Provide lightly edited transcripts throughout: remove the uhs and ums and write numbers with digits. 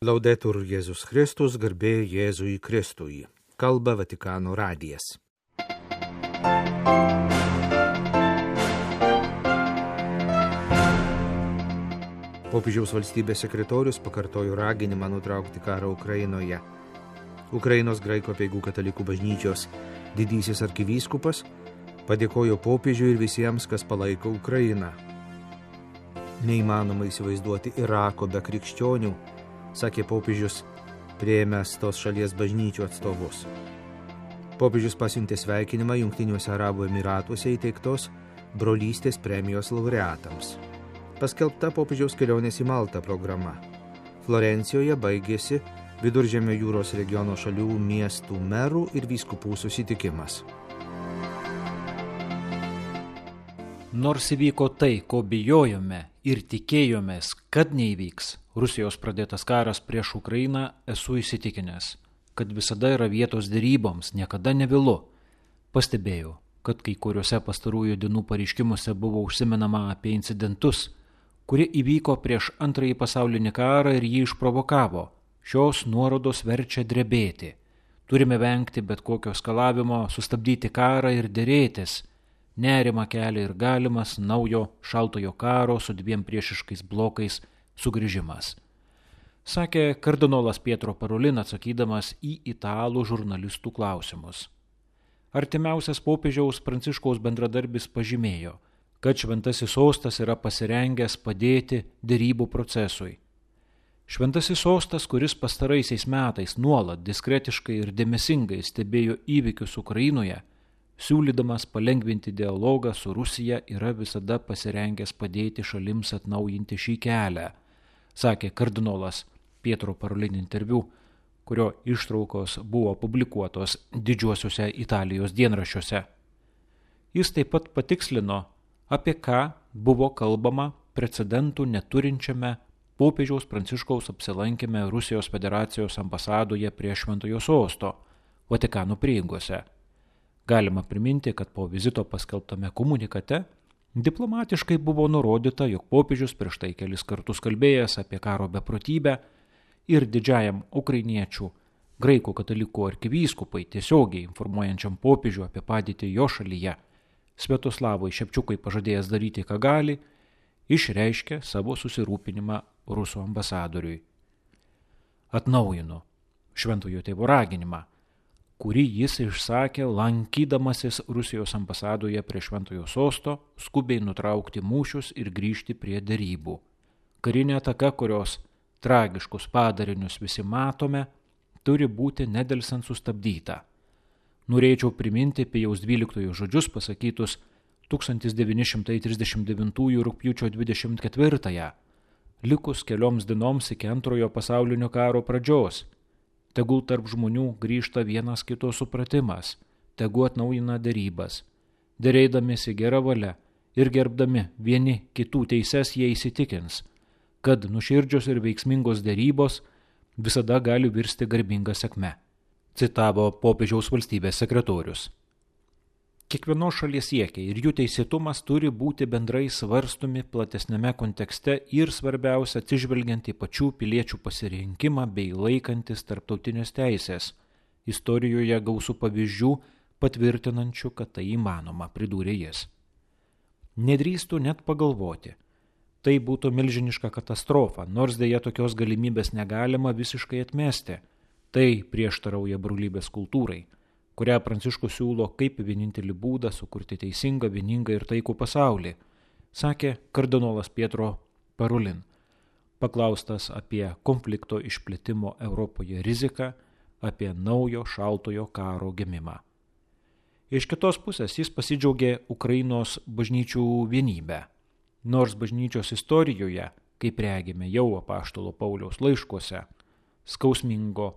Laudetur Jėzus Kristus, garbė Jėzui Kristui. Kalba Vatikano radijas. Popiežiaus valstybės sekretorius pakartojo raginimą nutraukti karą Ukrainoje. Ukrainos graikų apeigų katalikų bažnyčios didysis arkivyskupas padėkojo popiežiui ir visiems, kas palaiko Ukrainą. Neįmanoma įsivaizduoti Irako be krikščionių, sakė popiežius, priėmęs tos šalies bažnyčių atstovus. Popiežius pasiuntė sveikinimą Jungtiniuose Arabų Emyratuose įteiktos brolystės premijos laureatams. Paskelbta popiežiaus kelionės į Maltą programa. Florencijoje baigėsi Viduržemio jūros regiono šalių miestų merų ir vyskupų susitikimas. Nors įvyko tai, ko bijojome ir tikėjomės, kad neįvyks, Rusijos pradėtas karas prieš Ukrainą, esu įsitikinęs, kad visada yra vietos deryboms, niekada nevėlu. Pastebėjau, kad kai kuriuose pastarųjų dienų pareiškimuose buvo užsimenama apie incidentus, kurie įvyko prieš Antrąjį pasaulinį karą ir jį išprovokavo. Šios nuorodos verčia drebėti. Turime vengti bet kokio skalavimo, sustabdyti karą ir derėtis. Nerimą kelia ir galimas naujo šaltojo karo su dviem priešiškais blokais sugrįžimas, sakė kardinolas Pietro Parolin atsakydamas į italų žurnalistų klausimus. Artimiausias popiežiaus Pranciškaus bendradarbis pažymėjo, kad Šventasis Sostas yra pasirengęs padėti derybų procesui. Šventasis Sostas, kuris pastaraisiais metais nuolat diskretiškai ir dėmesingai stebėjo įvykius Ukrainoje, siūlydamas palengvinti dialogą su Rusija, yra visada pasirengęs padėti šalims atnaujinti šį kelią, sakė kardinolas Pietro Parolin interviu, kurio ištraukos buvo publikuotos didžiuosiuose Italijos dienraščiuose. Jis taip pat patikslino, apie ką buvo kalbama precedentų neturinčiame popiežiaus Pranciškaus apsilankime Rusijos federacijos ambasadoje prie Šventojo Sosto, Vatikano prieigose. Galima priminti, kad po vizito paskelbtame komunikate diplomatiškai buvo nurodyta, jog popiežius prieš tai kelis kartus kalbėjęs apie karo beprotybę ir didžiajam ukrainiečių graikų katalikų arkivyskupai tiesiogiai informuojančiam popiežių apie padėtį jo šalyje, Sviatoslavui Šepčiukui pažadėjęs daryti, ką gali, išreiškė savo susirūpinimą Rusų ambasadoriui. Atnaujino Šventojo Tėvo raginimą, kurį jis išsakė lankydamasis Rusijos ambasadoje prie Šventojo Sosto, skubiai nutraukti mūšius ir grįžti prie derybų. Karinė ataka, kurios tragiškus padarinius visi matome, turi būti nedelsant sustabdyta. Norėčiau priminti Pijaus XII žodžius pasakytus 1939 rugpjūčio 24, likus kelioms dienoms iki Antrojo pasaulinio karo pradžios. Tegul tarp žmonių grįžta vienas kito supratimas, tegu atnaujina derybas. Derėdamėsi gera valia ir gerbdami vieni kitų teises jie įsitikins, kad nuoširdžios ir veiksmingos derybos visada gali virsti garbinga sėkme, citavo popiežiaus valstybės sekretorius. Kiekvienos šalies siekiai ir jų teisėtumas turi būti bendrai svarstomi platesnėme kontekste ir svarbiausia atsižvelgiant į pačių piliečių pasirinkimą bei laikantis tarptautinės teisės. Istorijoje gausu pavyzdžių patvirtinančių, kad tai įmanoma, pridūrė jis. Nedrįstų net pagalvoti. Tai būtų milžiniška katastrofa, nors dėja tokios galimybės negalima visiškai atmesti. Tai prieštarauja brolybės kultūrai, kurią Pranciškus siūlo kaip vienintelį būdą sukurti teisingą, vieningą ir taikų pasaulį, sakė kardinolas Pietro Parolin, paklaustas apie konflikto išplitimo Europoje riziką, apie naujo šaltojo karo gimimą. Iš kitos pusės jis pasidžiaugė Ukrainos bažnyčių vienybę. Nors bažnyčios istorijoje, kaip regime jau apaštalo Pauliaus laiškuose, skausmingo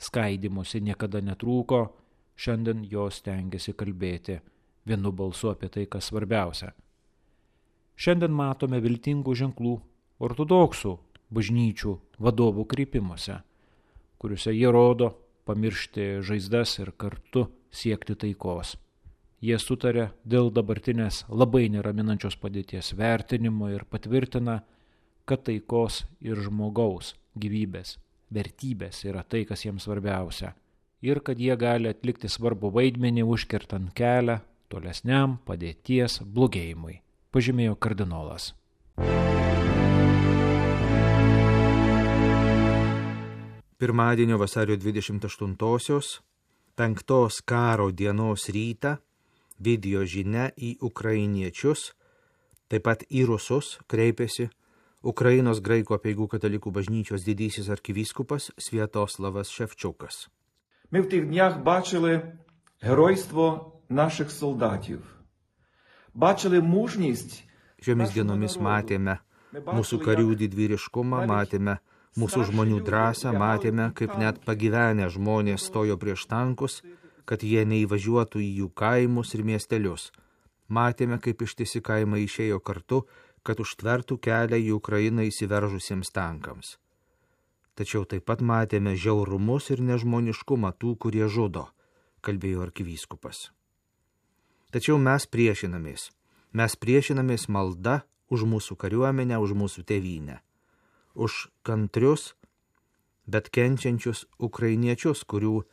skaidymosi niekada netrūko, šiandien jos stengiasi kalbėti vienu balsu apie tai, kas svarbiausia. Šiandien matome viltingų ženklų ortodoksų bažnyčių vadovų kreipimuose, kuriuose jie rodo pamiršti žaizdas ir kartu siekti taikos. Jie sutarė dėl dabartinės labai neraminančios padėties vertinimo ir patvirtina, kad taikos ir žmogaus gyvybės vertybės yra tai, kas jiems svarbiausia, ir kad jie gali atlikti svarbų vaidmenį užkertant kelią tolesniam padėties blogėjimui, pažymėjo kardinolas. Pirmadienio vasario 28-osios, 5 karo dienos rytą, video žinia į ukrainiečius, taip pat į rusus kreipėsi Ukrainos graikų apeigų katalikų bažnyčios didysis arkivyskupas Святославas Шевчукас. Ми в тих днях бачили геройство наших солдатів. Бачили мужність. Šiomis dienomis matėme mūsų karių didvyriškumą, matėme mūsų žmonių drąsą, matėme, kaip net pagyvenę žmonės stojo prieš tankus, kad jie neįvažiuotų į jų kaimus ir miestelius. Matėme, kaip ištisi kaimai išėjo kartu, kad užtvertų kelią į Ukrainą įsiveržusiems tankams. Tačiau taip pat matėme žiaurumus ir nežmoniškumą tų, kurie žudo, kalbėjo arkivyskupas. Tačiau mes priešinamės malda už mūsų kariuomenę, už mūsų tėvynę, už kantrius, bet kenčiančius ukrainiečius, kurių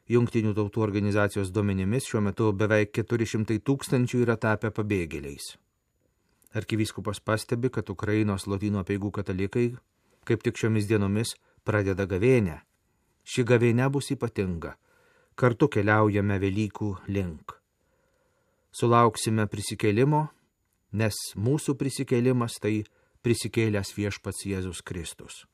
Jungtinių tautų organizacijos duomenimis šiuo metu beveik 400 000 yra tapę pabėgėliais. Arkivyskupas pastebi, kad Ukrainos lotynų apeigų katalikai kaip tik šiomis dienomis pradeda gavėnią. Ši gavėnia bus ypatinga. Kartu keliaujame Velykų link. Sulauksime prisikėlimo, nes mūsų prisikėlimas tai prisikėlęs viešpats Jėzus Kristus.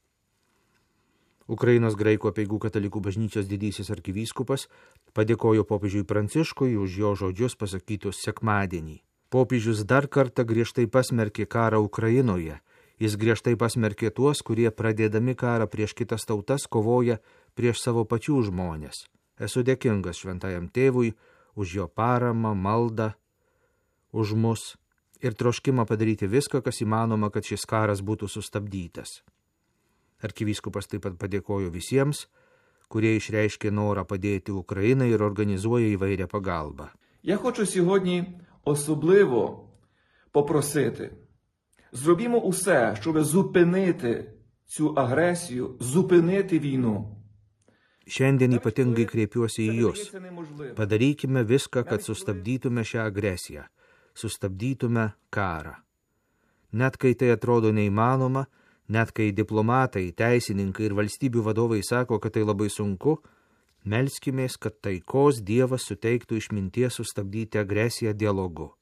Ukrainos graikų apeigų katalikų bažnyčios didysis arkivyskupas padėkojo popiežiui Pranciškui už jo žodžius pasakytus sekmadienį. Popiežius dar kartą griežtai pasmerkė karą Ukrainoje. Jis griežtai pasmerkė tuos, kurie pradėdami karą prieš kitas tautas kovoja prieš savo pačių žmonės. Esu dėkingas šventajam tėvui už jo paramą, maldą, už mus ir troškimą padaryti viską, kas įmanoma, kad šis karas būtų sustabdytas. Arkivyskupas taip pat padėkojo visiems, kurie išreiškė norą padėti Ukrainai ir organizuoja įvairią pagalbą. Я хочу сьогодні особливо попросити, зробімо усе, щоб зупинити цю агресію, зупинити війну. Šiandien ypatingai kreipiuosi į jūs. Padarykime viską, kad sustabdytume šią agresiją, sustabdytume karą. Net kai tai atrodo neįmanoma, net kai diplomatai, teisininkai ir valstybių vadovai sako, kad tai labai sunku, melskimės, kad taikos Dievas suteiktų išminties sustabdyti agresiją dialogu.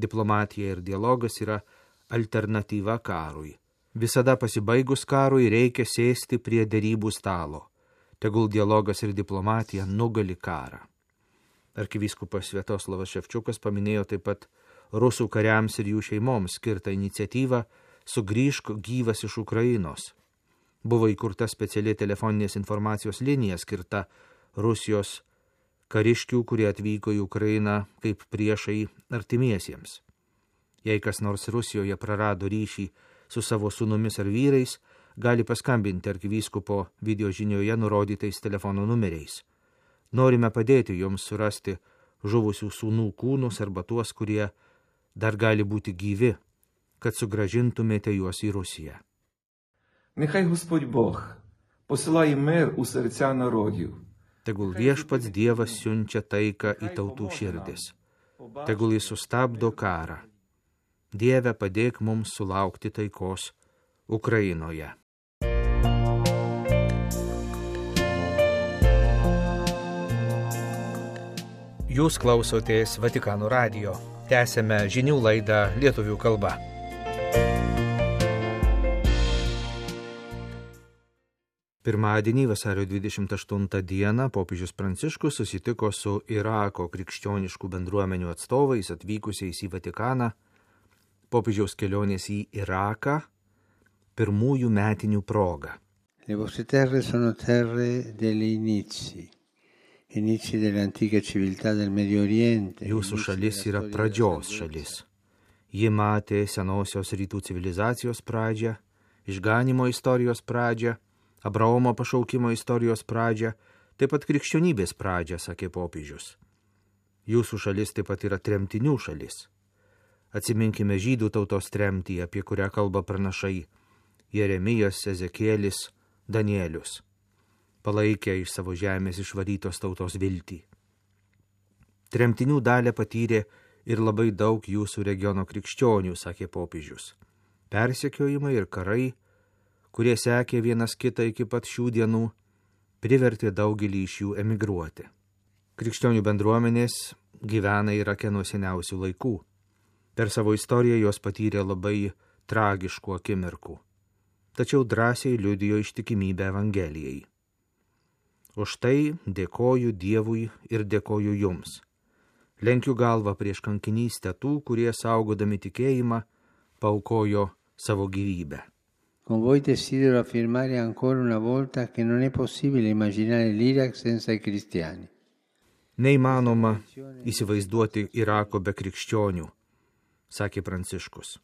Diplomatija ir dialogas yra alternatyva karui. Visada pasibaigus karui reikia sėsti prie derybų stalo. Tegul dialogas ir diplomatija nugali karą. Arkivyskupas Sviatoslavas Ševčiukas paminėjo taip pat rusų kariams ir jų šeimoms skirtą iniciatyvą Sugrįžk gyvas iš Ukrainos. Buvo įkurta speciali telefoninės informacijos linija skirta Rusijos kariškių, kurie atvyko į Ukrainą kaip priešai artimiesiems. Jei kas nors Rusijoje prarado ryšį su savo sūnumis ar vyrais, gali paskambinti arkivyskupo video žinioje nurodytais telefono numeriais. Norime padėti jums surasti žuvusių sūnų kūnus arba tuos, kurie dar gali būti gyvi, kad sugrąžintumėte juos į Rusiją. Нехай Господь Бог посилає мир у серця народів. Tegul viešpats Dievas siunčia taiką į tautų širdis. Tegul jis sustabdo karą. Dieve, padėk mums sulaukti taikos Ukrainoje. Jūs klausotės Vatikano radijo. Tęsėme žinių laidą lietuvių kalba. Pirmadienį, vasario 28 dieną, popiežius Pranciškus susitiko su Irako krikščioniškų bendruomenių atstovais atvykusiais į Vatikaną. Popiežiaus kelionės į Iraką pirmųjų metinių proga. Le vostre terre sono terre degli inizi dell'antica civiltà del Medio Oriente. Jūsų šalis yra pradžios šalis. Ji matė senosios rytų civilizacijos pradžią, išganymo istorijos pradžią, Abraomo pašaukimo istorijos pradžią, taip pat krikščionybės pradžią, sakė popiežius. Jūsų šalis taip pat yra tremtinių šalis. Atsiminkime žydų tautos tremtį, apie kurią kalba pranašai Jeremijas, Ezekielis, Danielius. palaikė iš savo žemės išvarytos tautos viltį. Tremtinių dalį patyrė ir labai daug jūsų regiono krikščionių, sakė popiežius. Persekiojimai ir karai, kurie sekė vienas kitą iki pat šių dienų, privertė daugelį iš jų emigruoti. Krikščionių bendruomenės gyvena Irake nuo seniausių laikų. Per savo istoriją jos patyrė labai tragiškų akimirkų, tačiau drąsiai liudijo ištikimybę Evangelijai. Už tai dėkoju Dievui ir dėkoju jums. Lenkiu galvą prieš kankinystę tų, kurie saugodami tikėjimą paaukojo savo gyvybę. Con voi desidero affermare ancora una volta che non è possibile immaginare l'Iraq senza i cristiani. Neįmanoma įsivaizduoti Irako be krikščionių, sakė Pranciškus.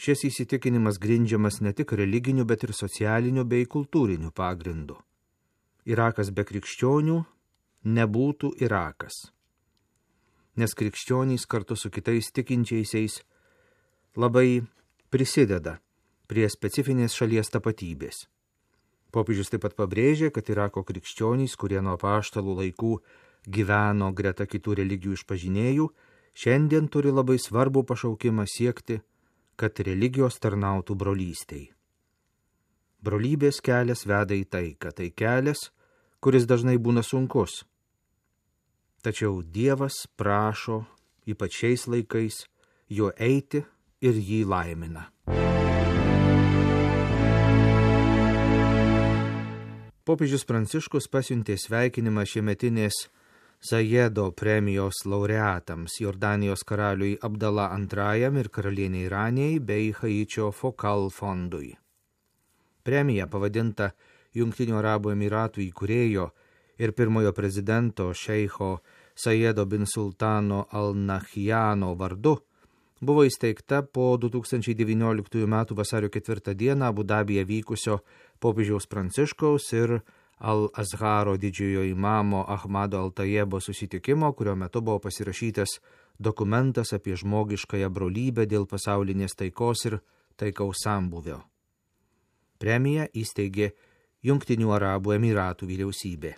Šis įsitikinimas grindžiamas ne tik religiniu, bet ir socialiniu bei kultūriniu pagrindu. Irakas be krikščionių nebūtų Irakas, nes krikščionys kartu su kitais tikinčiaisiais labai prisideda prie specifinės šalies tapatybės. Popiežius taip pat pabrėžė, kad Irako krikščionys, kurie nuo apaštalų laikų gyveno greta kitų religijų išpažinėjų, šiandien turi labai svarbų pašaukimą siekti, kad religijos tarnautų brolystei. Brolybės kelias veda į taiką, tai kelias, kuris dažnai būna sunkus. Tačiau Dievas prašo, ypač šiais laikais, juo eiti ir jį laimina. Popiežius Pranciškus pasiuntė sveikinimą šiemetinės Zajedo premijos laureatams Jordanijos karaliui Abdala II ir karalieniai Ranijai bei Haičio Fokal fondui. Premija pavadinta Jungtinių Arabų Emiratų įkūrėjo ir pirmojo prezidento šeicho Sajedo bin Sultano al-Nahjano vardu buvo įsteigta po 2019 m. vasario 4 d. Abu Dabyje vykusio popiežiaus Pranciškaus ir Al-Azharo didžiojo imamo Ahmado Al-Tajebo susitikimo, kurio metu buvo pasirašytas dokumentas apie žmogiškąją brolybę dėl pasaulinės taikos ir taikaus sambūvio. Premiją įsteigė Jungtinių Arabų Emiratų vyriausybė.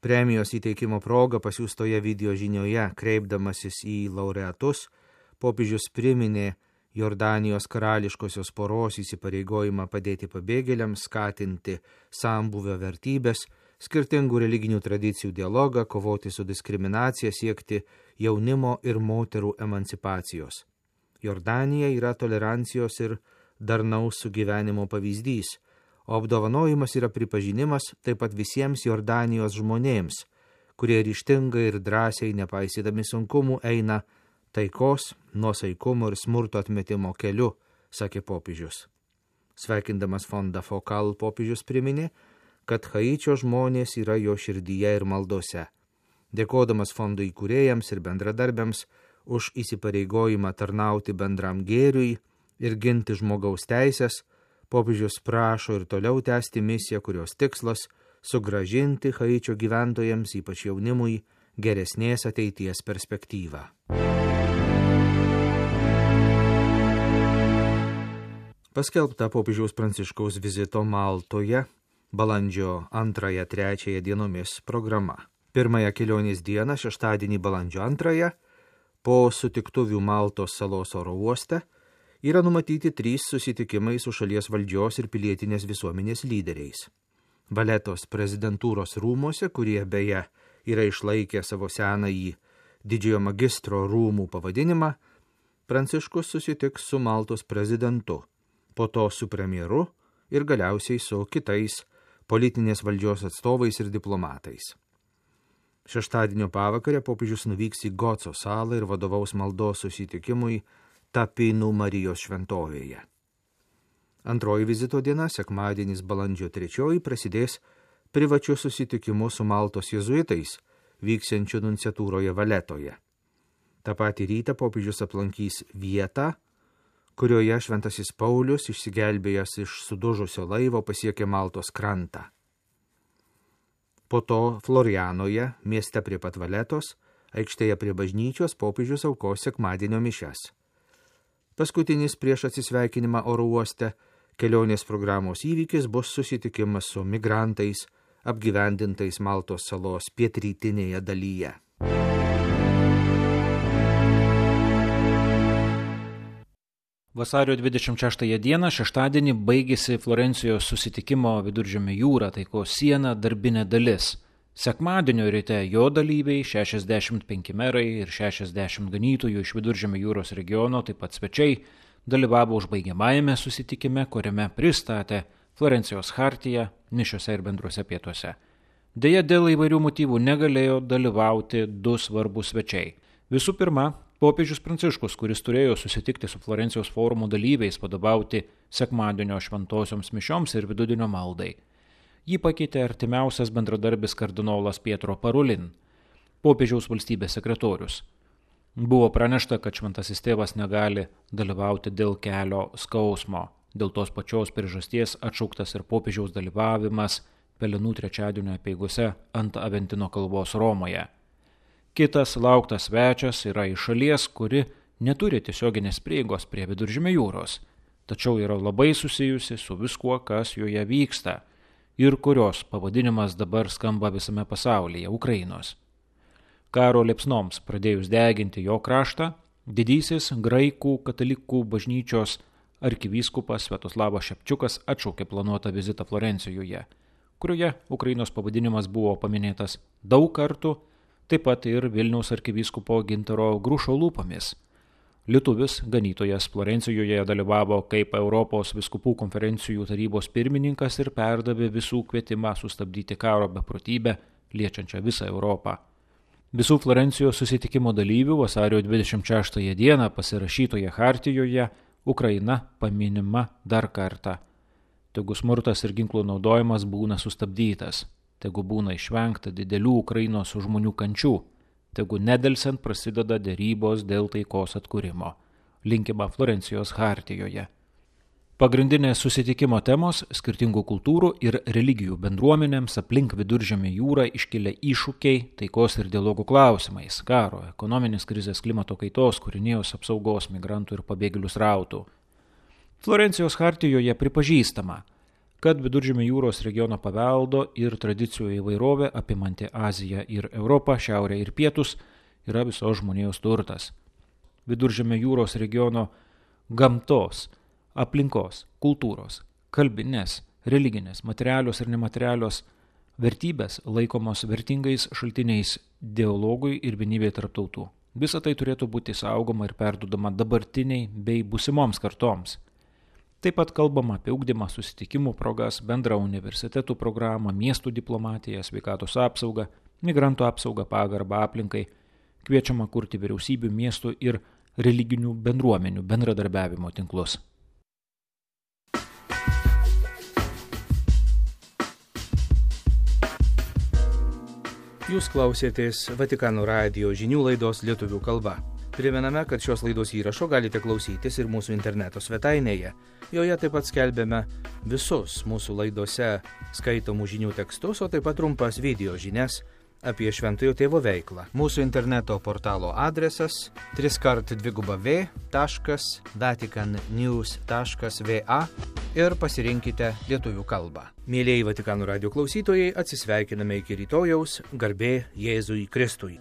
Premijos įteikimo proga pasiųstoje video žinioje, kreipdamasis į laureatus, popiežius priminė Jordanijos karališkosios poros įsipareigojimą padėti pabėgėliams, skatinti sambūvio vertybės, skirtingų religinių tradicijų dialogą, kovoti su diskriminacija, siekti jaunimo ir moterų emancipacijos. Jordanija yra tolerancijos ir darnaus sugyvenimo pavyzdys, o apdovanojimas yra pripažinimas taip pat visiems Jordanijos žmonėms, kurie ryžtingai ir drąsiai, nepaisydami sunkumų, eina taikos, nuosaikumo ir smurto atmetimo keliu, sakė popiežius. Sveikindamas fondą Fokal, popiežius priminė, kad Haičio žmonės yra jo širdyje ir maldose. Dėkodamas fondo įkūrėjams ir bendradarbiams už įsipareigojimą tarnauti bendram gėriui ir ginti žmogaus teisės, popiežius prašo ir toliau tęsti misiją, kurios tikslas sugrąžinti Haičio gyventojams, ypač jaunimui, geresnės ateities perspektyvą. Paskelbta popiežiaus Pranciškaus vizito Maltoje balandžio 2-3 dienomis programa. Pirmąją kelionės dieną, šeštadienį balandžio 2, po sutiktuvių Maltos salos oro uoste, yra numatyti 3 susitikimai su šalies valdžios ir pilietinės visuomenės lyderiais. Valetos prezidentūros rūmose, kurie beje yra išlaikę savo senąjį didžiojo magistro rūmų pavadinimą, Pranciškus susitiks su Maltos prezidentu, po to su premjeru ir galiausiai su kitais politinės valdžios atstovais ir diplomatais. Šeštadienio pavakarę popiežius nuvyks į Goco salą ir vadovaus maldos susitikimui Tapinų Marijos šventovėje. Antroji vizito diena, sekmadienis balandžio 3, prasidės privačiu susitikimu su Maltos jėzuitais, vyksiančiu nunciatūroje Valetoje. Ta patį rytą popiežius aplankys vietą, kurioje šventasis Paulius, išsigelbėjęs iš sudužusio laivo, pasiekė Maltos krantą. Po to Florianoje, mieste prie pat Valetos, aikštėje prie bažnyčios, popiežius aukos sekmadienio mišias. Paskutinis prieš atsisveikinimą oro uoste kelionės programos įvykis bus susitikimas su migrantais apgyvendintais Maltos salos pietrytinėje dalyje. Vasario 26 dieną, šeštadienį, baigėsi Florencijos susitikimo Viduržemio jūra taikos siena darbinė dalis. Sekmadienio ryte jo dalyviai, 65 merai ir 60 ganytojų iš Viduržemio jūros regiono, taip pat svečiai, dalyvavo užbaigiamajame susitikime, kuriame pristatė Florencijos chartiją mišiose ir bendruose pietuose. Deja, dėl įvairių motyvų negalėjo dalyvauti du svarbus svečiai. Visų pirma, popiežius Pranciškus, kuris turėjo susitikti su Florencijos forumo dalyviais, vadovauti sekmadienio šventosioms mišioms ir vidudienio maldai. Jį pakeitė artimiausias bendradarbis kardinolas Pietro Parolin, popiežiaus valstybės sekretorius. Buvo pranešta, kad šventasis tėvas negali dalyvauti dėl kelio skausmo. Dėl tos pačios priežasties atšauktas ir popiežiaus dalyvavimas Pelenų trečiadienio apeigose ant Aventino kalvos Romoje. Kitas lauktas svečias yra iš šalies, kuri neturi tiesioginės prieigos prie Viduržemio jūros, tačiau yra labai susijusi su viskuo, kas joje vyksta ir kurios pavadinimas dabar skamba visame pasaulyje – Ukrainos. Karo liepsnoms pradėjus deginti jo kraštą, didysis graikų katalikų bažnyčios arkivyskupas Sviatoslavas Šepčiukas atšaukė planuotą vizitą Florencijoje, kurioje Ukrainos pavadinimas buvo paminėtas daug kartų, taip pat ir Vilniaus arkivyskupo Gintaro Grušo lūpomis. Lietuvis ganytojas Florencijoje dalyvavo kaip Europos vyskupų konferencijų tarybos pirmininkas ir perdavė visų kvietimą sustabdyti karo beprotybę, liečiančią visą Europą. Visų Florencijos susitikimo dalyvių vasario 26 dieną pasirašytoje chartijoje Ukraina paminima dar kartą. Tegu smurtas ir ginklų naudojimas būna sustabdytas. Tegu būna išvengta didelių Ukrainos žmonių kančių, tegu nedelsiant prasideda derybos dėl taikos atkūrimo, linkima Florencijos chartijoje. Pagrindinės susitikimo temos – skirtingų kultūrų ir religijų bendruomenėms aplink Viduržemio jūrą iškilę iššūkiai taikos ir dialogų klausimais, karo, ekonominės krizės, klimato kaitos, kūrinijos apsaugos, migrantų ir pabėgėlių srautų. Florencijos chartijoje pripažįstama, kad Viduržemio jūros regiono paveldo ir tradicijų įvairovė apimanti Aziją ir Europą, Šiaurę ir Pietus yra visos žmonijos turtas. Viduržemio jūros regiono gamtos, aplinkos, kultūros, kalbinės, religinės, materialios ir nematerialios vertybės laikomos vertingais šaltiniais dialogui ir vienybei tarp tautų. Visa tai turėtų būti saugoma ir perduodama dabartiniai bei būsimoms kartoms. Taip pat kalbama apie ugdymą, susitikimų progas, bendrą universitetų programą, miestų diplomatiją, sveikatos apsaugą, migrantų apsaugą, pagarbą aplinkai, kviečiama kurti vyriausybių, miestų ir religinių bendruomenių bendradarbiavimo tinklus. Jūs klausėtės Vatikano radijo žinių laidos lietuvių kalba. Primename, kad šios laidos įrašo galite klausytis ir mūsų interneto svetainėje. Joje taip pat skelbiame visus mūsų laidose skaitomų žinių tekstus, o taip pat trumpas video žinias apie Šventojo Tėvo veiklą. Mūsų interneto portalo adresas www.vaticannews.va ir pasirinkite lietuvių kalbą. Mėlieji Vatikano radijo klausytojai, atsisveikiname iki rytojaus, garbė Jėzui Kristui.